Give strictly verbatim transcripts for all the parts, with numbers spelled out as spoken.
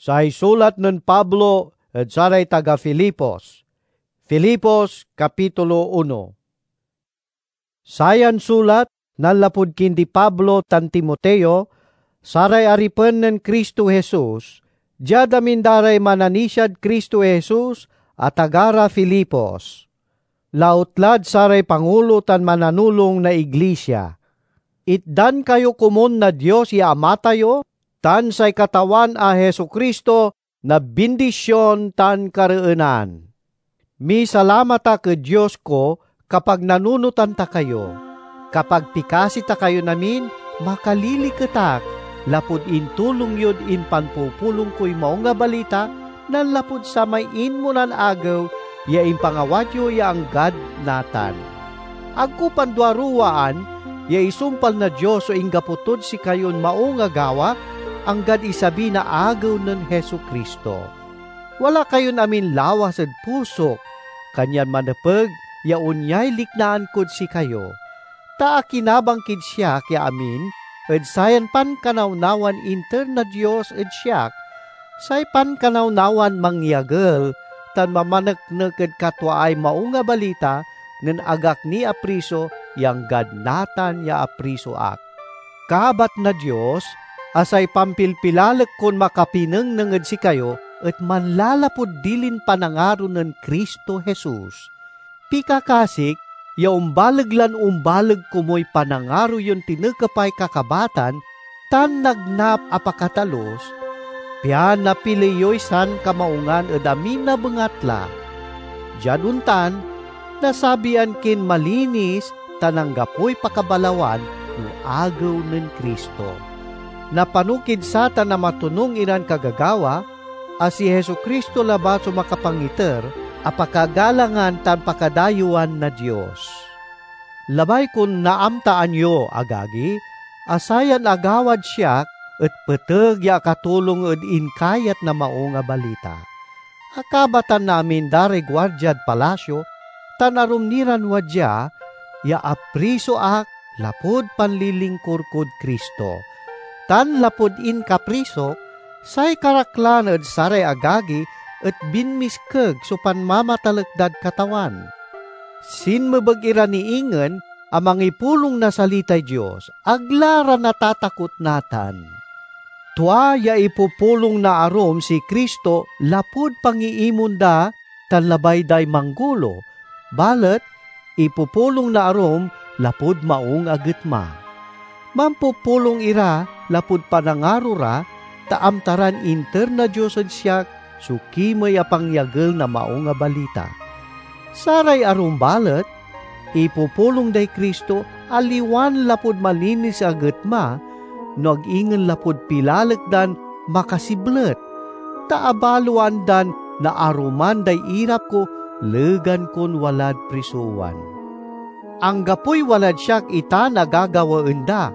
Say sulat nen Pablo ed saray taga Filipos. Filipos, kapitulo uno. Sayan sulat, nanlapud kindi Pablo tan Timoteo, saray aripen nen Cristo Jesus, diad amin da ray mananisiad Cristo Jesus a taga ra Filipos. Lautlad saray pangulo tan mananulong na iglisia. Itdan kayo komun na Dios ya Ama tayo tan say Katawan a Jesu-Cristo na bindision tan kareenan. Misalamat ak ed Dios ko kapag nanunotan ta kayo, kapag pikasi ta kayon amin, makaliliket ak lapud intulong yod impanpupulong koy Maung a Balita nanlapud samay inmonan agew ya impangawat yo ya anggad natan. Ag ko panduaruwaan ya isumpal na Dios so inggapo tod sikayon maung a gawa, anggad isabi na agew nen Jesu-Cristo. Wala kayon amin lawas ed pusok, kanyan manepeg ya onyay liknaan kod sikayo. Ta akinabang kid siak ya amin ed sayan pankanawnawan inter na Dios ed siak, say pankanawnawan mangyagel tan mamaneknek ed katwaay Maung a Balita nen ag ak ni apriso ya anggad natan ya apriso ak. Kabat na Dios a say pampilpilalek kon makapinengneng ed sikayo et manlalapud dilin panangaro nen Cristo Jesus. Pikakasik ya ombaleg lan ombaleg komoy panangaro yon tinekepay kakabatan tan nagnap a pakatalus, pian napili yoy sankamaungan ed amin a bengatla. Diad ontan, nasabian kin malinis tan anggapoy pakabalawan no Agew nen Cristo. Napanokid satan a matonung iran kagagawa, a si Jesu-Cristo labat so makapangiter a pakagalangan tan pakadayewan na Dios. Labay kon naamtaan yo, agagi, a sayan agawad siak et peteg ya akatulong ed inkayat na Maung a Balita. Akabatan na amin da ray guardiad palasio tan arum ni ran wadia ya apriso ak lapud panlilingkur kod Cristo. Tan lapud inkaprisok, say karaklan ed saray agagi et binmiskeg so panmamatalek dad Katawan. Sinmebeg ira ni ingen a mangipulong na salitay Dios, ag la ra natatakot natan. Tua ya ipupulong na arum si Cristo lapud pangiimon da tan labay day manggulo, balet ipupulong na arum lapud maung a getma. Mampupulong ira lapud panangaro ra, ta amta ran inter na Dios ed siak so kimey a pangyagel na Maung a Balita. Saray arum balet, ipupulong day Cristo aliwan lapud malinis a getma, no ag ingen lapud pilalek dan makasiblet, ta abaloan dan naaruman day irap ko legan kon walad prisowan. Anggapoy walad siak itan a gagawaen da.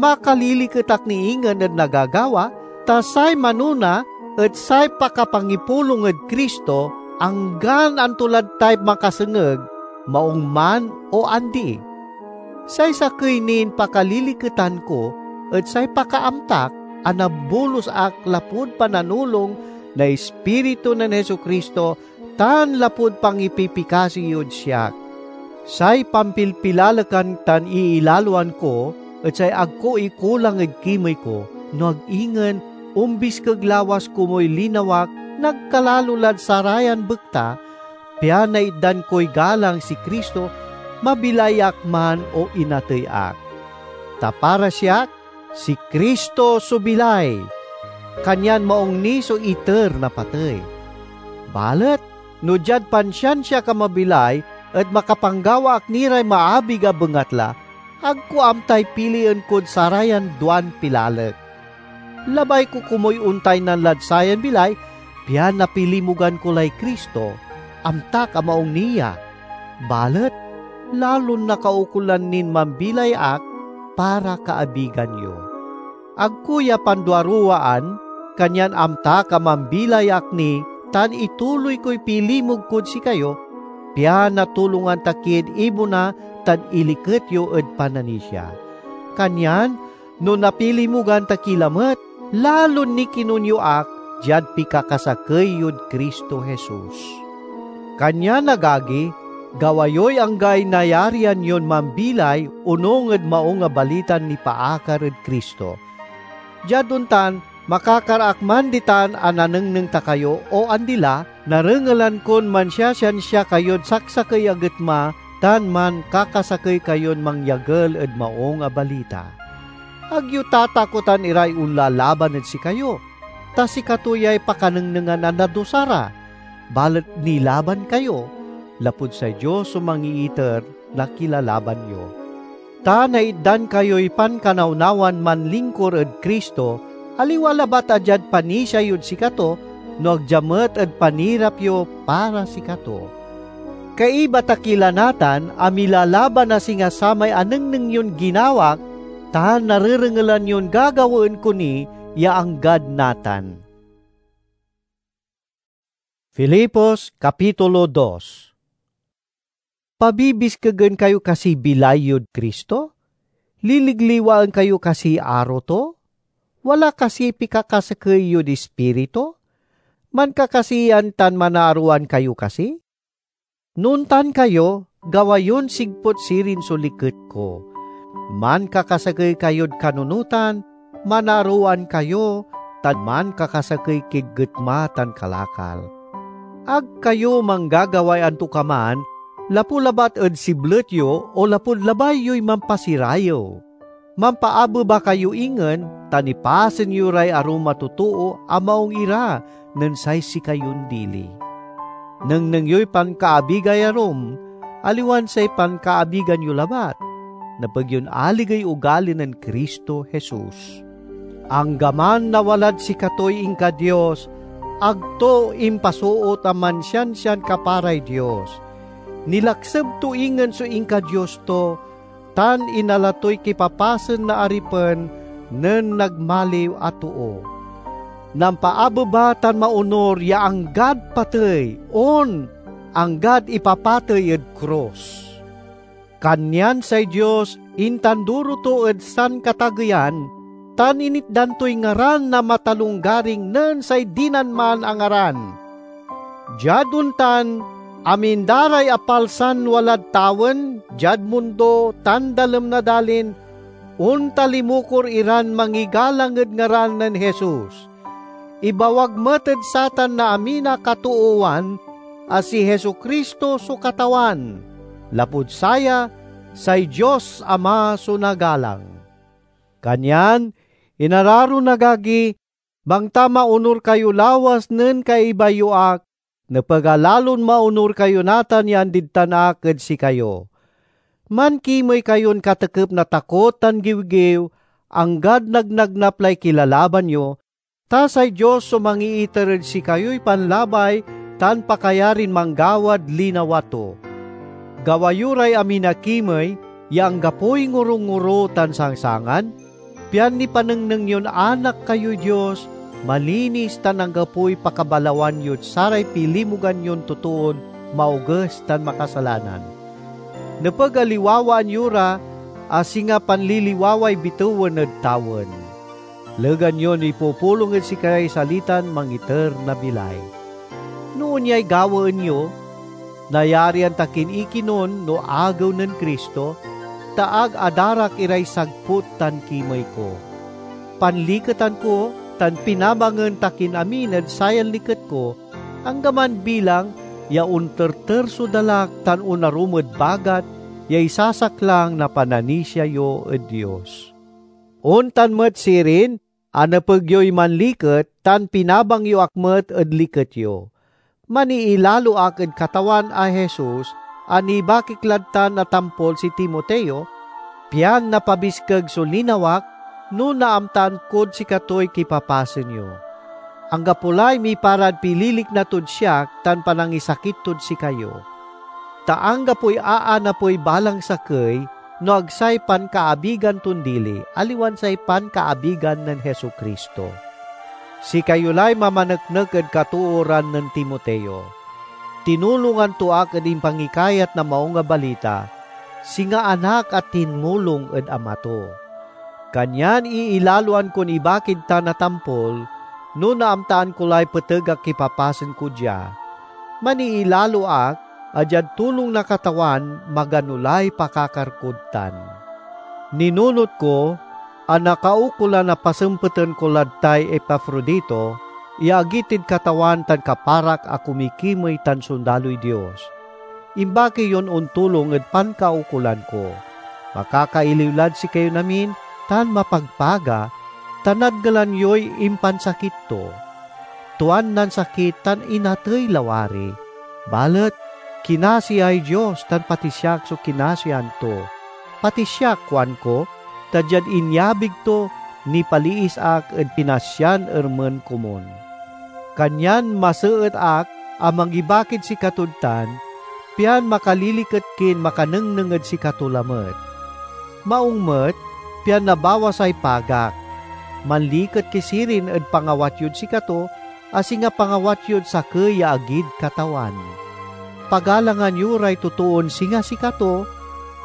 Makaliliket ak ni ingen ed nagagawa, ta say manona et say pakapangipulong ed Cristo, anggan anto lad tay makasengeg, maung man o andi. Say sakey nin pakaliliketan ko et say pakaamtak a nabulos ak lapud pananulong na Ispiritu nen Jesu-Cristo tan lapud pangipipikasi yod siak. Say pampilpilalekan tan iilaloan ko et say ag ko ikulang ed kimey ko, no ag ingen ombiskeg lawas komoy linawak nagkalalo lad sarayan bekta, pian naitdan koy galang si Cristo, mabilay ak man o inatey ak. Ta para siak, si Cristo so bilay, kanyan maung ni so iter na patey. Balet no diad pansiansiak a mabilay et makapanggawa ak ni ray maabig a bengatla, ag ko amtay pilien kod sarayan duan pilalek. Labay ko komuy ontaynan lad sayan bilay, pian napilimogan ko lay Cristo, amtak a maung ni ya. Balet lalon nakaukolan nin mambilay ak para kaabigan yo. Ag ko ya panduaruwaan, kanyan amtak a mambilay ak ni tan ituloy koy pilimog kod sikayo, pian natulongan ta ki ed ibona tan iliket yo ed pananisia. Kanyan, no napilimogan ta ki lamet, lalon nikinun yo ak diad pikakasakey yod Cristo Jesus. Kanyan, agagi, gawa yoy anggay nayarian yon mambilay onung ed Maung a Balitan nipaakar ed Cristo. Diad ontan, makakar ak man ditan a nanengneng ta kayo, o andi la, narengelan kon mansiasiansia kayod saksakey a getma tan mankakasakey kayon mangyagel ed Maung a Balita. Ag yo tatakotan iray onlalaban ed sikayo, ta sikato yay pakanengnengan a nadusa ra, balet nilaban kayo, lapud say Dios so mangiiter na kilalaban yo. Ta naitdan kayoy pankanawnawan manlingkur ed Cristo, aliwa labat a diad panisia yod sikato, no ag dia met ed panirap yo para sikato. Kaiba ta ki la natan a milalaban a singa samay anengneng yon ginawak, tan narerengelan yon gagawaen ko ni ya anggad natan. Filipos, Kapitulo dos. Pabibiskegen kayo kasiy bilay yod Cristo? Liligliwaen kayo kasiy aro to? Wala kasiy pikakasakey yod Ispiritu? Mankakasiyan tan manaaroan kayo kasi? No ontan kayo, gawa yon sigput sirin so liket ko. Mankakasakey kayod kanunotan, manaaroan kayo, tan mankakasakey kid getma tan kalakal. Ag kayo manggagaway antokaman lapu labat ed siblet yo o lapud labay yoy mampasirayew. Mampaabeba kayo ingen, ta nipasen yo ray arum a totoo a maung ira nen say sikayon dili. Nengneng yoy pankaabigay arum, aliwan say pankaabigan yo labat. Nepeg yon aligey ugali nen Cristo Jesus. Anggaman nawalad sikatoy inka-Dios, ag to impasoot a mansiansian kaparay Dios. Nilakseb to ingen so inka-Dios to, tan inala toy kipapasen na aripen nen nagmaliw a too. Nampaabeba tan maonur ya anggad patey, on, anggad ipapatey ed krus. Kanyan say Dios intanduro to ed sankatageyan, tan initdan toy ngaran na matalonggaring nen say dinan man a ngaran. Diad ontan, amin da ray apalsan walad tawen, diad mundo, tan dalem na dalin, ontalimukor iran mangigalang ed ngaran nen Jesus. Ibawag met ed satan na amin a katoowan a si Jesu-Cristo so Katawan. Lapud saya, say Dios Ama so nagalang. Kanyan, inararon agagi, bangta maonur kayo lawas nen kaiba yo ak, nepeg a lalon maonur kayo natan ya andid tan ak ed sikayo. Mankimey kayon katekep na takot tan giwgiw, anggad nagnagnap lay kilalaban yo, ta say Dios so mangiiter ed sikayoy panlabay tan pakayarin manggawad linawa to. Gawa yo ray amin a kimey ya anggapoy ngorongoro tan sangsangan, pian nipanengneng yon anak kayoy Dios, malinis tan anggapoy pakabalawan yod saray pilimogan yon totoon maoges tan makasalanan. Nepeg a liwawaan yo ra a singa panliliwaway bitewen ed tawen. Legan yon ipupulong ed sikaray salitan mangiter na bilay. No onyay gawaen yo, nayarian ta kin ikinon no Agew nen Cristo, ta ag adarak iray sagput tan kimey ko. Panliketan ko tan pinabangen ta kin amin ed sayan liket ko, anggaman bilang ya onterter so dalak tan onarum ed bagat ya isasaklang na pananisia yo ed Dios. Ontan met sirin, a nepeg yoy manliket tan pinabang yo ak met ed liket yo. Maniilalo ak ed Katawan a Jesus a nibakik lad tan a tampol si Timoteo, pian napabiskeg so linawak no naamtaan kod sikatoy kipapasen yo. Anggapo lay miparad pililikna tod siak tan panangisakit tod sikayo. Ta anggapoy aanapey balang sakey no ag say pankaabigan ton dili, aliwan say pankaabigan nen Jesu-Cristo. Sikayo lay mamaneknek ed katooran nen Timoteo. Tinulongan to ak ed impangikayat na Maung a Balita, singa anak a tinmulong ed ama to. Kanyan iilaloan kon ibakid tan a tampol, no naamtaan ko lay peteg a kipapasen ko dia. Maniilalo ak a diad tulong na Katawan magano lay pakakar kod tan. Ninunot ko a nakaukolan a pasempeten ko lad tay Epafrodito ya agi tid Katawan tan kaparak a kumikimey tan sondaloy Dios. Imbaki yon ontulong ed pankaukolan ko. Makakailiw lad sikayon amin tan mapagpaga, ta nadngelan yoy impansakit to. Tuan nansakit tan inatey lawari. Balet kinasiay Dios tan pati siak so kinasian to. Pati siak, kuanko, ta diad inyabig to, nipaliis ak ed pinasyan ermen komun. Kanyan maseet ak a mangibakid sikatod tan, pian makaliliket kin makanengneng ed sikato lamet. Maung met, pian nabawas ay pagak. Manliket ki sirin ed pangawat yod sikato, a singa pangawat yod sakey ya agid Katawan. Pagalangan yo ray totoon singa sikato,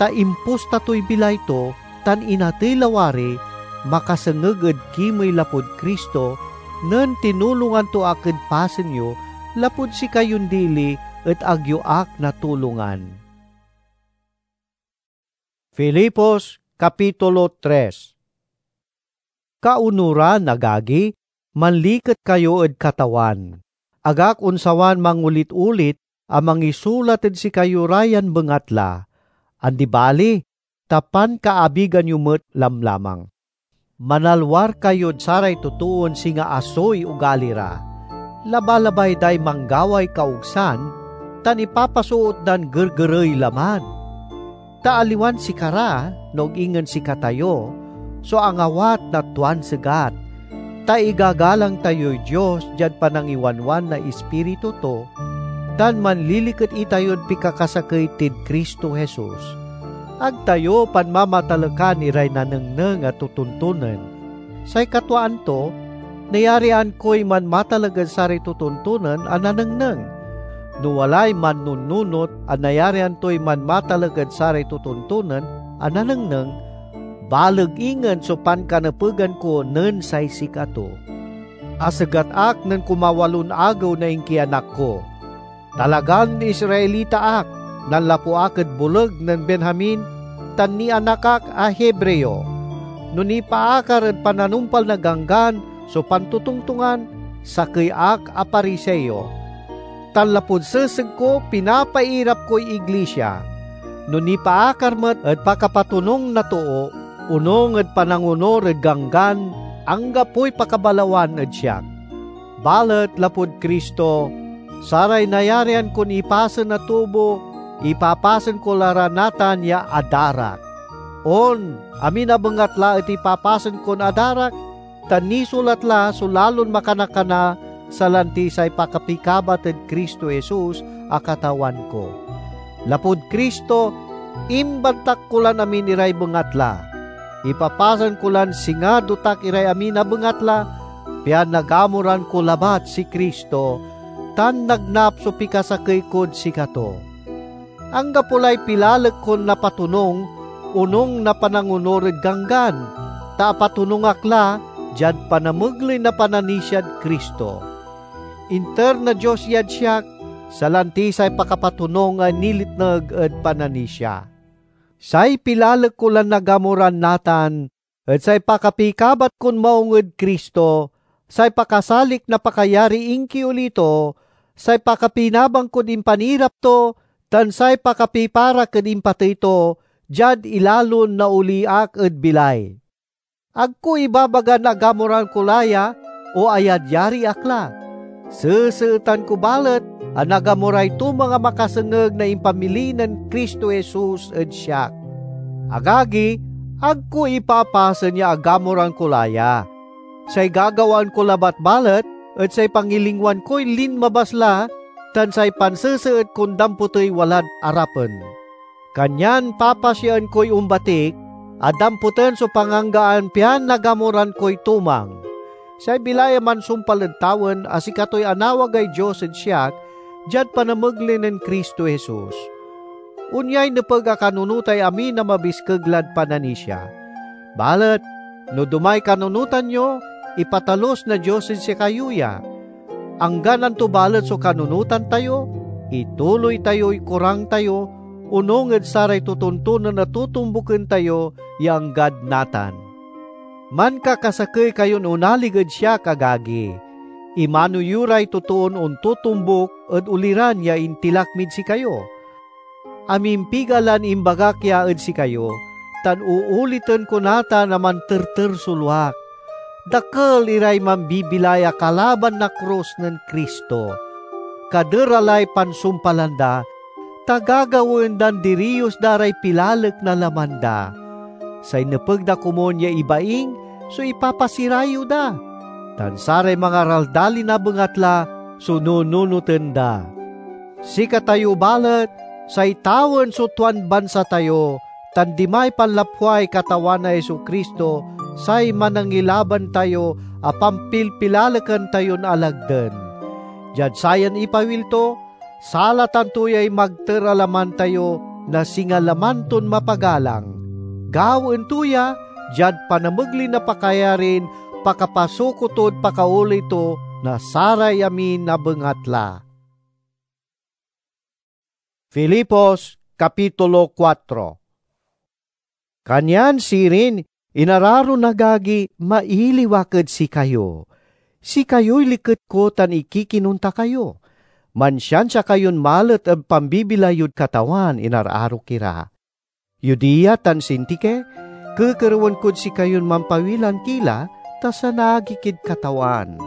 ta impusta toy bilay to, tan inatey lawari, makasengeg ed kimey lapud Cristo, nen tinulongan to ak ed pasen yo, lapud sikayon dili et ag yo ak natulongan. Filipos, Kapitulo tres. Kaunoran, agagi, manliket kayo ed Katawan. Ag ak onsawan mangolit-olit a mangisulat ed sikayo ra yan bengatla. Andi bali, ta pankaabigan yo met lamlamang. Manalwar kayod saray totoon singa asoy ugali ra. Labalabay day manggaway kaogsan, tan ipapasoot dan gergerey laman. Ta aliwan sikara, no ag ingen sikatayo, so angawat na tuan segat, ta igagalang tayoy Dios diad panangiwanwan na Ispiritu to, tan manliliket itayod pikakasakey tid Cristo Jesus. Ag tayo panmamatalekan iray nanengneng a totontonen. Say katwaan to, nayarian koy manmataleg ed saray totontonen a nanengneng. No walay mannununot a nayarian toy manmataleg ed saray totontonen a nanengneng, baleg ingen so pankanepegan ko nen say sikato. Asegat ak nen kumawalon agew na inkianak ko. Talagan Israelita ak, nanlapu ak ed boleg nen Benjamin, tan nianak ak a Hebreo. No nipaakar ed pananumpal na Ganggan so pantotongtongan, sakey ak a Pariseo. Tan lapud seseg ko, pinapairap koy iglisia. No nipaakar met ed pakapatonung na too, onung ed panangonur ed Ganggan, anggapoy pakabalawan ed siak. Balet lapud Cristo, saray nayarian kon ipasen a tubo, ipapasen ko la ra natan ya adarak. On, amin a bengatla et ipapasen kon adarak, ta nisulat la so lalon makanakana, salanti say pakapikabat ed Cristo Jesus a Katawan ko. Lapud Cristo, imbantak ko lan amin iray bengatla. Ipapasen ko lan singa dotak iray amin a bengatla, pian nagamoran ko labat si Cristo, tan nagnap so pikasakey kod sikato. Anggapo lay pilalek kon napatonung, onung na panangonur ed Ganggan, ta apatonung ak la diad panamegley na pananisiad Cristo. Inter na Dios iyad siak, salanti say pakapatonung a nilitneg ed pananisia. Say pilalek ko lan nagamoran natan et say pakapikabat kon maung ed Cristo, say pakasalik na pakayariy inkioli to, say pakapinabang kod impanirap to, tan say pakapiparak ed impatey to, diad ilalon naoli ak ed bilay. Ag ko ibabagan a gamoran ko la ya o ayadyari ak la. Seseetan ko balet a nagamoray tumang a makasengeg na impamili nen Cristo Jesus ed siak. Agagi, ag ko ipapasen ya agamoran ko la ya. Say gagawaan ko labat balet et say pangilingwan koy linmabas la tan say panseseet kon dampotey walad arapen. Kanyan papasiaen koy ombatik a dampoten so panganggaan pian nagamoran koy tumang. Say bilay a mansumpal ed tawen a sikatoy anawagay Dios ed siak diad panamegley nen Cristo Jesus. Onyay nepeg a kanunotay amin a mabiskeg lad pananisia. Balet no domay kanunotan yo, ipatalus na Dios ed sikayo ya. Anggan anto balet so kanunotan tayo, ituloy tayoy kurang tayo, onung ed saray totontonen a totombuken tayo ya anggad natan. Mankakasakey kayon onalig ed siak, agagi. Imano yo ray totoon ontotombuk ed oliran ya intilak mid sikayo. Amimpiga lan imbagak ya ed sikayo, tan uuliten ko natan a manterter so luak. Dakel iray mambibilay a kalaban na krus nen Cristo. Kadera lay pansumpalan da, ta gagawaen dan diriyos da ray pilalek na laman da. Say nepeg da komun ya ibaing so ipapasirayew da, tan saray mangaraldalin a bengatla so nununoten da. Sikatayo balet, say tawen so tuan bansa tayo, tan dimay panlapway Katawan a Jesu-Cristo, say Manangilaban tayo a pampilpilalekan tayon alagden. Diad sayan ipawil to, salatan to yay magter a laman tayo na singa laman ton mapagalang. Gawaen to ya diad panamegley na pakayarin pakapasuko tod pakaoley to na saray amin a bengatla. Filipos, Kapitulo kuatro. Kanyan sirin, inararon agagi, mailiw ak ed sikayo. Sikayoy liket ko tan ikikinun ta kayo. Mansiansia kayon malet ed pambibilay yod Katawan, inararok ira. Euodia tan Sintike, kekerewen kod sikayon mampawilan ki la, ta sanagi kid Katawan.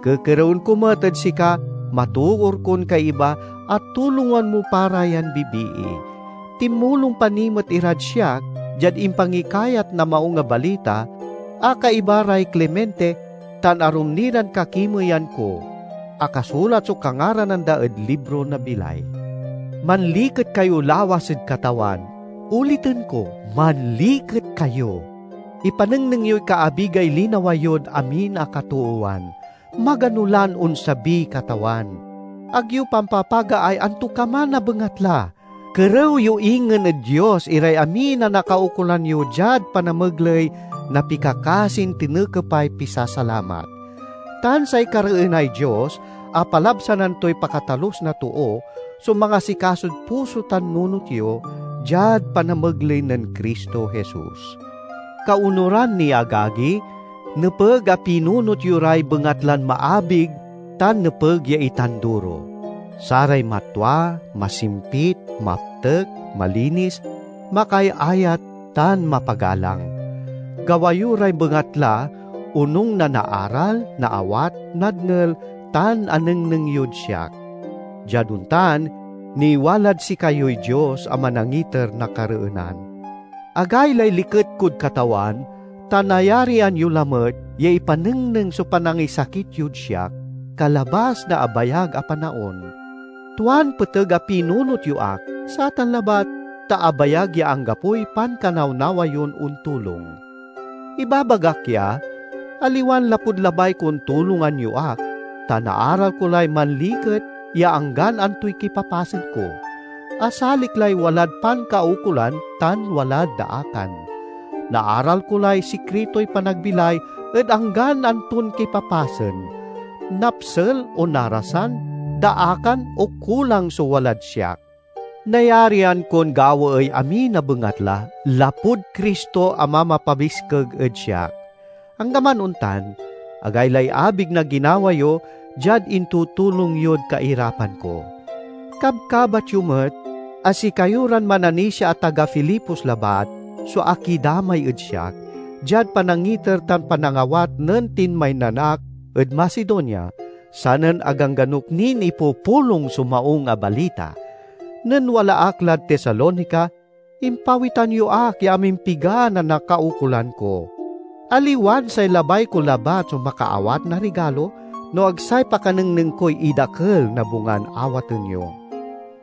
Kekerewen ko met ed sika, matoor kon kaiba, a tulongan mo pa ra yan bibii. Tinmulong pa ni met irad siak diad impangikayat na Maung a Balita a kaiba ray Clemente tan arum ni ran kakimeyan ko, a kasulat so kangaranan da ed libro na bilay. Manliket kayo lawas ed Katawan. Uliten ko, manliket kayo. Ipanengneng yoy kaabigay linawa yod amin a katoowan. Magano lan onsabiy Katawan. Ag yo pampapagaay antokaman a bengatla. Kerew yo ingen ed Dios iray amin a nakaukolan yo diad panamegley na pikakasin tinekepay pisasalamat. Tan say kareenay Dios a palabsanan toy pakatalus na too so mangasikasod puso tan nunot yo diad panamegley nen Cristo Jesus. Kaonuran ni, agagi, nepeg a pinunot yo ray bengatlan maabig tan nepeg ya itanduro. Saray matua, masimpit, maptek, malinis, makaayayat, tan mapagalang. Gawa yo ray bengatla onung na naaral, naawat, nadngel, tan anengneng yod siak. Diad ontan, niwalad sikayoy Dios a manangiter na kareenan. Agaylay liket kod Katawan, ta nayarian yo lamet ya ipanengneng so panangisakit yod siak, kalabas na abayag a panaon. Tuan peteg a pinunot yo ak, satan labat, ta abayag ya anggapoy pankanawnawa yon ontulong. Ibabagak ya, aliwan lapud labay kon tulongan yo ak, ta naaral ko lay manliket ya anggan antoy kipapasen ko. Asalik lay walad pankaukolan tan walad daakan. Naaral ko lay sikritoy panagbilay ed anggan anton kipapasen, napsel o narasan, daakan o kulang so walad siak. Nayarian kon gawaey amin a bengatla lapud Cristo a mamapabiskeg ed siak. Anggaman ontan, agaylay abig na ginawa yo diad intutulong yod kairapan ko. Kabkabat yo met a sikayo ran mananisia a taga Filipos labat so akidamay ed siak, diad panangiter tan panangawat nen tinmaynan ak ed Macedonia, sanen agangganok nin ipupulong so Maung a Balita. Nen wala ak lad Tesalonica, impawitan yo ak ya amimpigan a nakaukolan ko. Aliwan say labay ko labat so makaawat na rigalo, no ag say pakanengneng koy idakel na bungan awaten yo.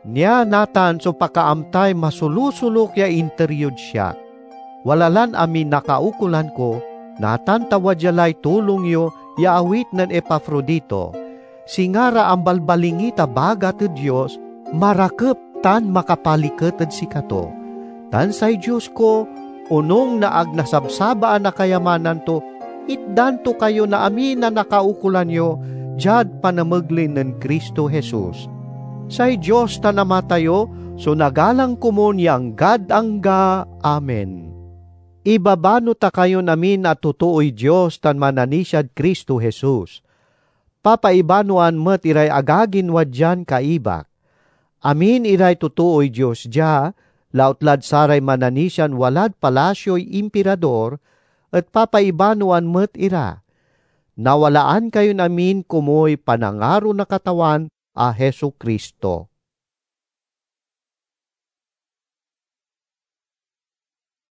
Nia natan so pakaamtay masolosolok ya inter yod siak. Wala lan amin nakaukolan ko, natan ta wadya lay tulong yo ya awit nen Epafrodito, singa ra ambalbalingit a bagat ed Dios, marakep tan makapaliket ed sikato. Tan say Dios ko, onung na ag nasabsabaan a kayamanan to, Itdan to kayo na amin a nakaukolan yo diad panamegley nen Cristo Jesus. Say Dios tan Ama tayo so nagalang komun ya anggad angga. Amen. Ibabano ta kayon amin a totooy Dios tan mananisiad Cristo Jesus. Papaibanoan met iray agagin wadian kaibak. Amin iray totooy Dios dia, lautlad saray mananisian walad palasioy Impirador, et papaibanoan met ira. Nawalaan kayon amin komuy panangaro na Katawan a Jesu-Cristo.